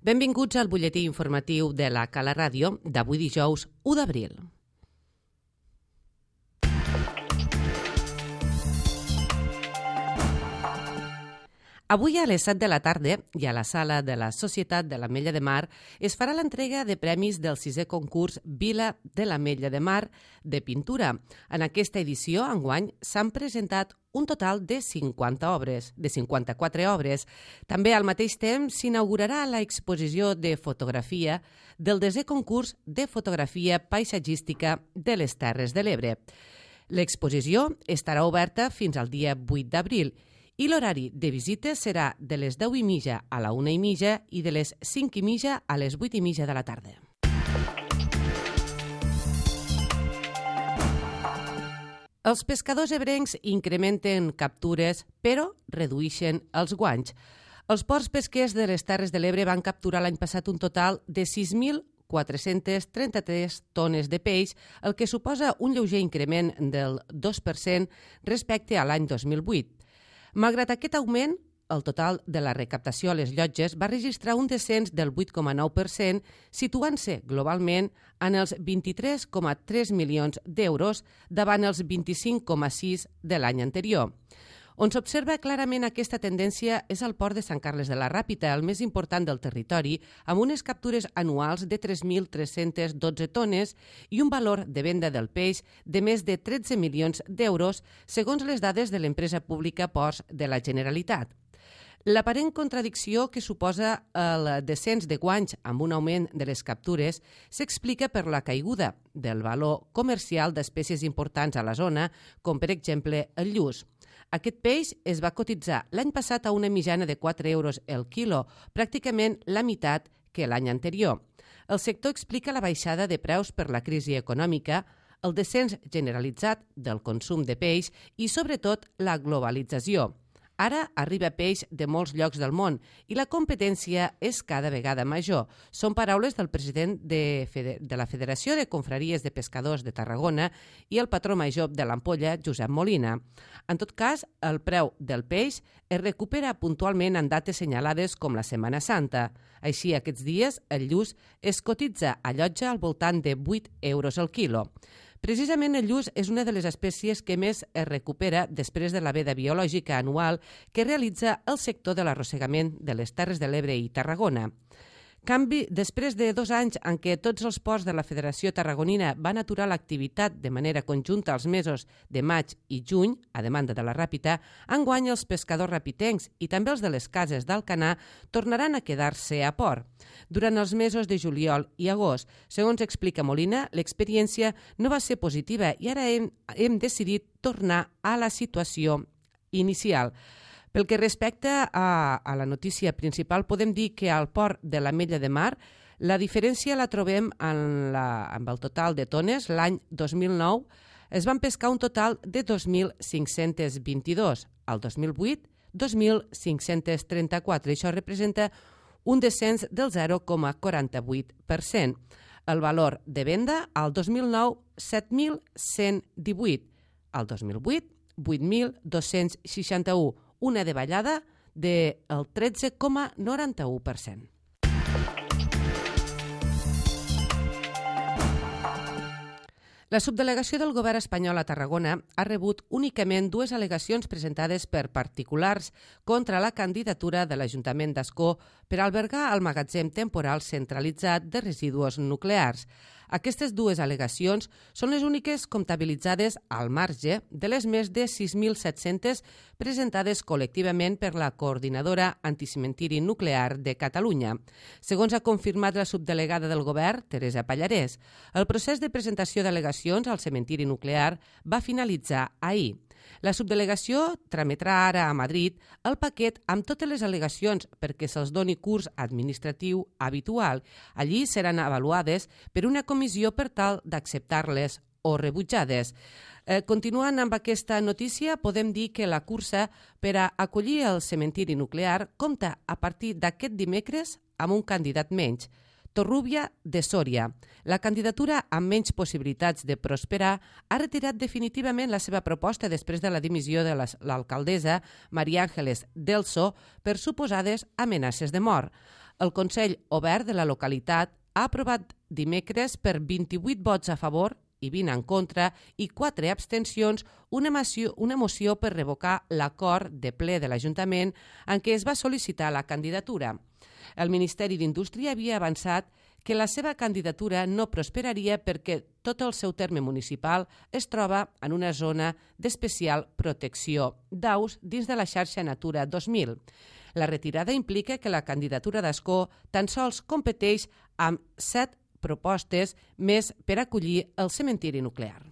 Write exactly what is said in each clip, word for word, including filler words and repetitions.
Benvinguts al butlletí informatiu de la Cala Ràdio d'avui dijous u d'abril. Avui a les set de la tarda i a la sala de la Societat de l'Ametlla de Mar es farà l'entrega de premis del sisè concurs Vila de l'Ametlla de Mar de pintura. En aquesta edició, enguany, s'han presentat un total de cinquanta obres, de cinquanta-quatre obres. També al mateix temps s'inaugurarà l'exposició de fotografia del desè concurs de fotografia paisatgística de les Terres de l'Ebre. L'exposició estarà oberta fins al dia vuit d'abril i l'horari de visites serà de les deu i mitja a la una i mitja i de les cinc i mitja a les vuit i mitja de la tarda. Els pescadors ebrencs incrementen captures, però redueixen els guanys. Els ports pesquers de les Terres de l'Ebre van capturar l'any passat un total de sis mil quatre-cents trenta-tres tones de peix, el que suposa un lleuger increment del dos per cent respecte a l'any dos mil vuit. Malgrat aquest augment, el total de la recaptació a les llotges va registrar un descens del vuit coma nou per cent, situant-se globalment en els vint-i-tres coma tres milions d'euros davant els vint-i-cinc coma sis de l'any anterior. On s'observa clarament aquesta tendència és al port de Sant Carles de la Ràpita, el més important del territori, amb unes captures anuals de tres mil tres-centes dotze tones i un valor de venda del peix de més de tretze milions d'euros, segons les dades de l'empresa pública Ports de la Generalitat. L'aparent contradicció que suposa el descens de guanys amb un augment de les captures s'explica per la caiguda del valor comercial d'espècies importants a la zona, com per exemple el lluç. Aquest peix es va cotitzar l'any passat a una mitjana de quatre euros el quilo, pràcticament la meitat que l'any anterior. El sector explica la baixada de preus per la crisi econòmica, el descens generalitzat del consum de peix i, sobretot, la globalització. Ara arriba peix de molts llocs del món i la competència és cada vegada major. Són paraules del president de, de la Federació de Confraries de Pescadors de Tarragona i el patró major de l'Ampolla, Josep Molina. En tot cas, el preu del peix es recupera puntualment en dates senyalades com la Setmana Santa. Així, aquests dies, el lluç es cotitza a llotja al voltant de vuit euros al quilo. Precisament el lluç és una de les espècies que més es recupera després de la veda biològica anual que realitza el sector de l'arrossegament de les Terres de l'Ebre i Tarragona. Canvi, després de dos anys en què tots els ports de la Federació Tarragonina van aturar l'activitat de manera conjunta els mesos de maig i juny, a demanda de la Ràpita, enguany els pescadors rapitencs i també els de les cases d'Alcanar tornaran a quedar-se a port. Durant els mesos de juliol i agost, segons explica Molina, l'experiència no va ser positiva i ara hem, hem decidit tornar a la situació inicial. Pel que respecta a, a la notícia principal, podem dir que al port de l'Ametlla de Mar la diferència la trobem en la, amb el total de tones. L'any dos mil nou es van pescar un total de dos mil cinc-cents vint-i-dos, el dos mil vuit, dos mil cinc-cents trenta-quatre. Això representa un descens del zero coma quaranta-vuit per cent. El valor de venda al dos mil nou, set mil cent divuit, al dos mil vuit, vuit mil dos-cents seixanta-u, una davallada del tretze coma noranta-u per cent. La subdelegació del govern espanyol a Tarragona ha rebut únicament dues al·legacions presentades per particulars contra la candidatura de l'Ajuntament d'Ascó per albergar el magatzem temporal centralitzat de residus nuclears. Aquestes dues al·legacions són les úniques comptabilitzades al marge de les més de sis mil set-centes presentades col·lectivament per la Coordinadora Anticimentiri Nuclear de Catalunya. Segons ha confirmat la subdelegada del govern, Teresa Pallarès, el procés de presentació d'al·legacions al cementiri nuclear va finalitzar ahir. La subdelegació trametrà ara a Madrid el paquet amb totes les al·legacions perquè se'ls doni curs administratiu habitual. Allí seran avaluades per una comissió per tal d'acceptar-les o rebutjades. Eh, continuant amb aquesta notícia, podem dir que la cursa per a acollir el cementiri nuclear compta a partir d'aquest dimecres amb un candidat menys. Torrúbia de Sòria. La candidatura amb menys possibilitats de prosperar ha retirat definitivament la seva proposta després de la dimissió de l'alcaldessa Maria Àngeles Delso per suposades amenaces de mort. El Consell Obert de la localitat ha aprovat dimecres per vint-i-vuit vots a favor i vint en contra i quatre abstencions una moció, una moció per revocar l'acord de ple de l'Ajuntament en què es va sol·licitar la candidatura. El Ministeri d'Indústria havia avançat que la seva candidatura no prosperaria perquè tot el seu terme municipal es troba en una zona d'especial protecció d'aus dins de la xarxa Natura dos mil. La retirada implica que la candidatura d'Ascó tan sols competeix amb set propostes més per acollir el cementiri nuclear.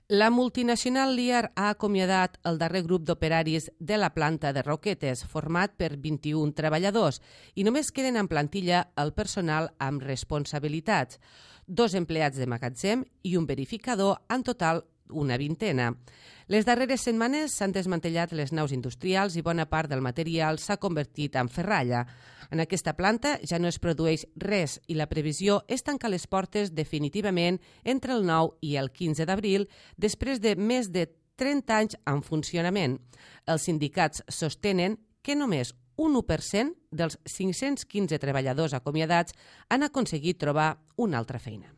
La multinacional Lear ha acomiadat el darrer grup d'operaris de la planta de Roquetes, format per vint-i-un treballadors, i només queden en plantilla el personal amb responsabilitats, dos empleats de magatzem i un verificador, en total una vintena. Les darreres setmanes s'han desmantellat les naus industrials i bona part del material s'ha convertit en ferralla. En aquesta planta ja no es produeix res i la previsió és tancar les portes definitivament entre el nou i el quinze d'abril, després de més de trenta anys en funcionament. Els sindicats sostenen que només un u per cent dels cinc-cents quinze treballadors acomiadats han aconseguit trobar una altra feina.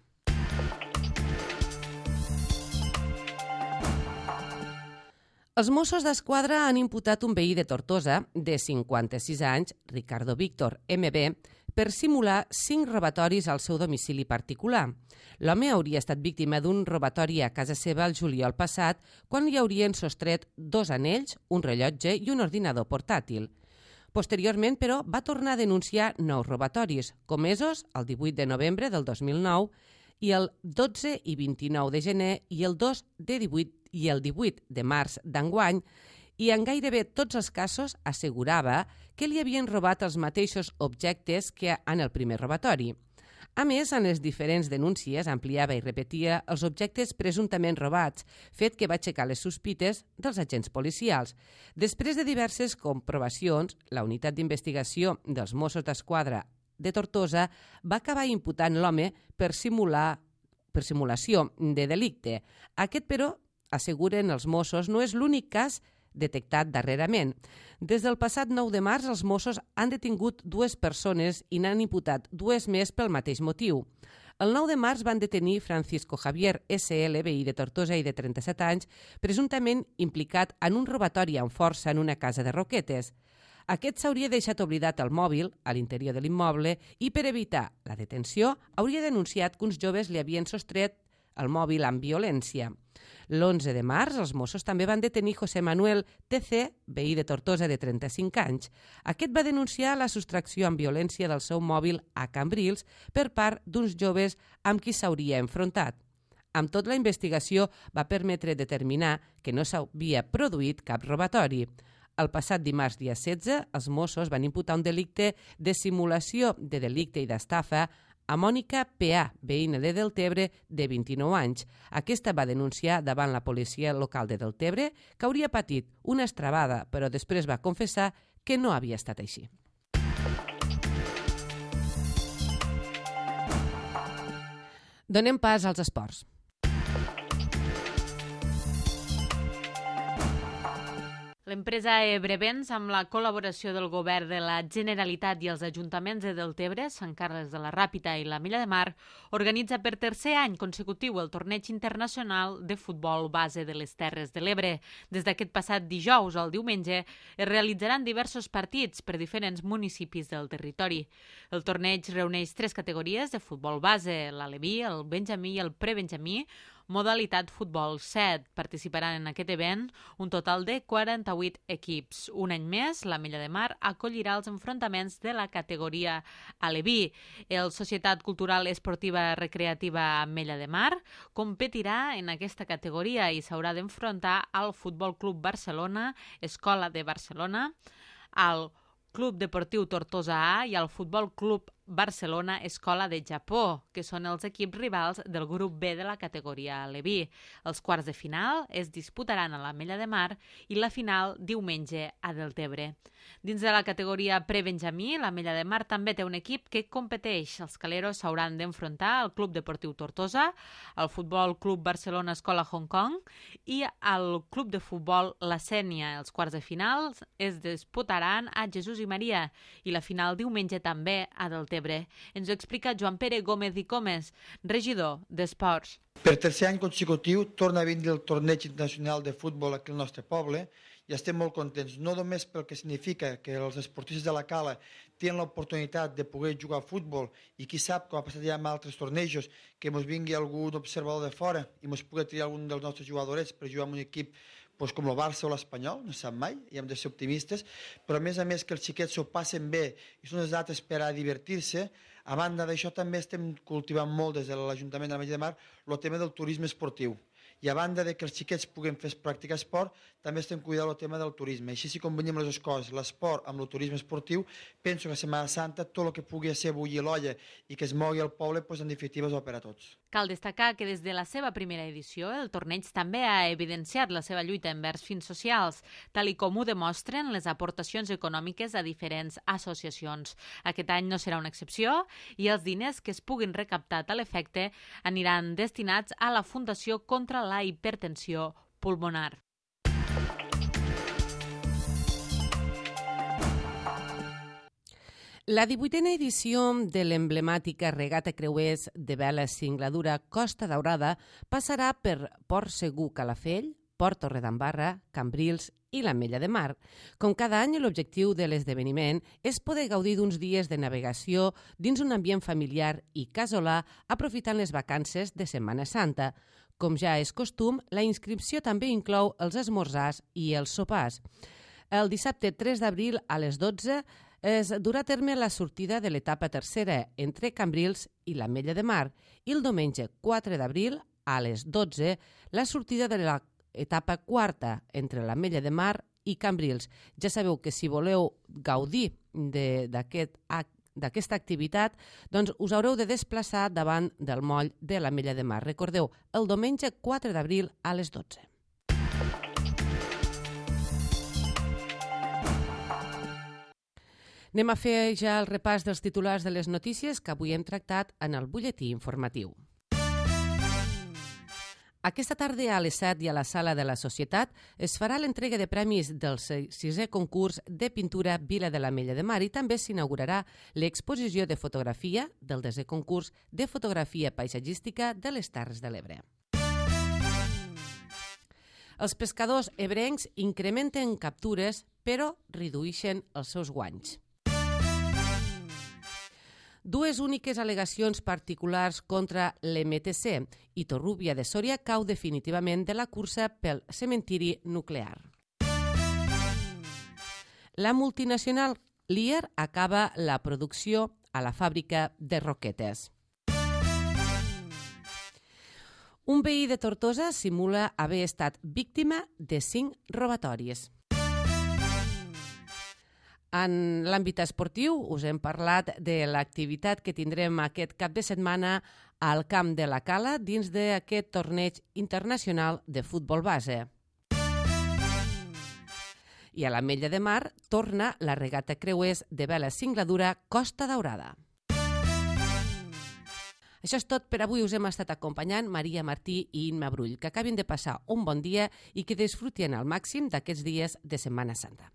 Els Mossos d'Esquadra han imputat un veí de Tortosa, de cinquanta-sis anys, Ricardo Víctor eme be, per simular cinc robatoris al seu domicili particular. L'home hauria estat víctima d'un robatori a casa seva el juliol passat, quan li haurien sostret dos anells, un rellotge i un ordinador portàtil. Posteriorment, però, va tornar a denunciar nous robatoris, comesos el divuit de novembre del dos mil nou i el dotze i vint-i-nou de gener i el dos de divuit i el divuit de març d'enguany, i en gairebé tots els casos assegurava que li havien robat els mateixos objectes que en el primer robatori. A més, en les diferents denúncies ampliava i repetia els objectes presumptament robats, fet que va aixecar les sospites dels agents policials. Després de diverses comprovacions, la unitat d'investigació dels Mossos d'Esquadra de Tortosa va acabar imputant l'home per simular per simulació de delicte. Aquest, però, asseguren els Mossos, no és l'únic cas detectat darrerament. Des del passat nou de març, els Mossos han detingut dues persones i n'han imputat dues més pel mateix motiu. El nou de març van detenir Francisco Javier esse ele, veí de Tortosa i de trenta-set anys, presumptament implicat en un robatori amb força en una casa de Roquetes. Aquest s'hauria deixat oblidat el mòbil a l'interior de l'immoble i, per evitar la detenció, hauria denunciat que uns joves li havien sostret el mòbil amb violència. L'onze de març, els Mossos també van detenir José Manuel te ce, veí de Tortosa de trenta-cinc anys. Aquest va denunciar la sostracció amb violència del seu mòbil a Cambrils per part d'uns joves amb qui s'hauria enfrontat. Amb tot, la investigació va permetre determinar que no s'havia produït cap robatori. El passat dimarts, dia setze, els Mossos van imputar un delicte de simulació de delicte i d'estafa a Mònica pe a, veïna de Deltebre, de vint-i-nou anys. Aquesta va denunciar davant la policia local de Deltebre que hauria patit una estrabada, però després va confessar que no havia estat així. Donem pas als esports. L'empresa Ebrevents, amb la col·laboració del govern de la Generalitat i els ajuntaments de Deltebre, Sant Carles de la Ràpita i la Milla de Mar, organitza per tercer any consecutiu el torneig internacional de futbol base de les Terres de l'Ebre. Des d'aquest passat dijous al diumenge es realitzaran diversos partits per diferents municipis del territori. El torneig reuneix tres categories de futbol base, l'aleví, el benjamí i el prebenjamí, modalitat futbol set. Participaran en aquest event un total de quaranta-vuit equips. Un any més, la Milla de Mar acollirà els enfrontaments de la categoria aleví. El Societat Cultural Esportiva Recreativa Mella de Mar competirà en aquesta categoria i s'haurà d'enfrontar al Futbol Club Barcelona, Escola de Barcelona, al Club Deportiu Tortosa A i al Futbol Club Barcelona Escola de Japó, que són els equips rivals del grup B de la categoria Aleví. Els quarts de final es disputaran a l'Ametlla de Mar i la final diumenge a Deltebre. Dins de la categoria prebenjamí, l'Ametlla de Mar també té un equip que competeix. Els caleros s'hauran d'enfrontar al Club Deportiu Tortosa, al Futbol Club Barcelona Escola Hong Kong i al Club de Futbol La Sénia. Els quarts de final es disputaran a Jesús i Maria i la final diumenge també a Deltebre. Ens ho explica Joan Pere Gómez i Comes, regidor d'Esports. Per tercer any consecutiu torna a vindre el torneig internacional de futbol aquí al nostre poble i estem molt contents, no només pel que significa que els esportistes de la Cala tenen l'oportunitat de poder jugar a futbol i qui sap, com ha passat ja amb altres tornejos, que ens vingui algun observador de fora i ens pugui triar algun dels nostres jugadors per jugar en un equip pues, com el Barça o l'Espanyol, no sap mai, i hem de ser optimistes, però a més a més que els xiquets s'ho passen bé i són les dates per a divertir-se. A banda d'això també estem cultivant molt des de l'Ajuntament de l'Ametlla de Mar el tema del turisme esportiu. I a banda de que els xiquets puguin fer practicar esport, també estem cuidant el tema del turisme. Així, si combinem les dues coses, l'esport amb el turisme esportiu, penso que a Setmana Santa tot el que pugui ser bullir l'olla i que es mogui al poble, pues, en definitiva és bo per a tots. Cal destacar que des de la seva primera edició el torneig també ha evidenciat la seva lluita envers fins socials, tal i com ho demostren les aportacions econòmiques a diferents associacions. Aquest any no serà una excepció i els diners que es puguin recaptar a l'efecte aniran destinats a la Fundació contra la hipertensió pulmonar. La divuitena edició de l'emblemàtica regata creuers de vela Singladura Costa Daurada passarà per Port Segur Calafell, Port Torredembarra, Cambrils i l'Ametlla de Mar. Com cada any, l'objectiu de l'esdeveniment és poder gaudir d'uns dies de navegació dins un ambient familiar i casolà aprofitant les vacances de Setmana Santa. Com ja és costum, la inscripció també inclou els esmorzars i els sopars. El dissabte tres d'abril a les dotze es durà a terme la sortida de l'etapa tercera entre Cambrils i l'Ametlla de Mar i el diumenge quatre d'abril a les dotze la sortida de l'etapa quarta entre l'Ametlla de Mar i Cambrils. Ja sabeu que si voleu gaudir d'aquest acte d'aquesta activitat, doncs us haureu de desplaçar davant del moll de l'Ametlla de Mar. Recordeu, el diumenge quatre d'abril a les dotze. Anem a fer ja el repàs dels titulars de les notícies que avui hem tractat en el butlletí informatiu. Aquesta tarda a les set i a la Sala de la Societat es farà l'entrega de premis del sisè concurs de pintura Vila de l'Ametlla de Mar i també s'inaugurarà l'exposició de fotografia del desè concurs de fotografia paisatgística de les Terres de l'Ebre. Els pescadors ebrencs incrementen captures però redueixen els seus guanys. Dues úniques al·legacions particulars contra l'M T C i Torrúvia de Sòria cau definitivament de la cursa pel cementiri nuclear. La multinacional Lear acaba la producció a la fàbrica de roquetes. Un veí de Tortosa simula haver estat víctima de cinc robatoris. En l'àmbit esportiu us hem parlat de l'activitat que tindrem aquest cap de setmana al Camp de la Cala dins d'aquest torneig internacional de futbol base. I a l'Ametlla de Mar torna la regata creuers de vela Singladura Costa Daurada. Això és tot per avui. Us hem estat acompanyant Maria Martí i Imma Brull. Que acabin de passar un bon dia i que disfrutin al màxim d'aquests dies de Setmana Santa.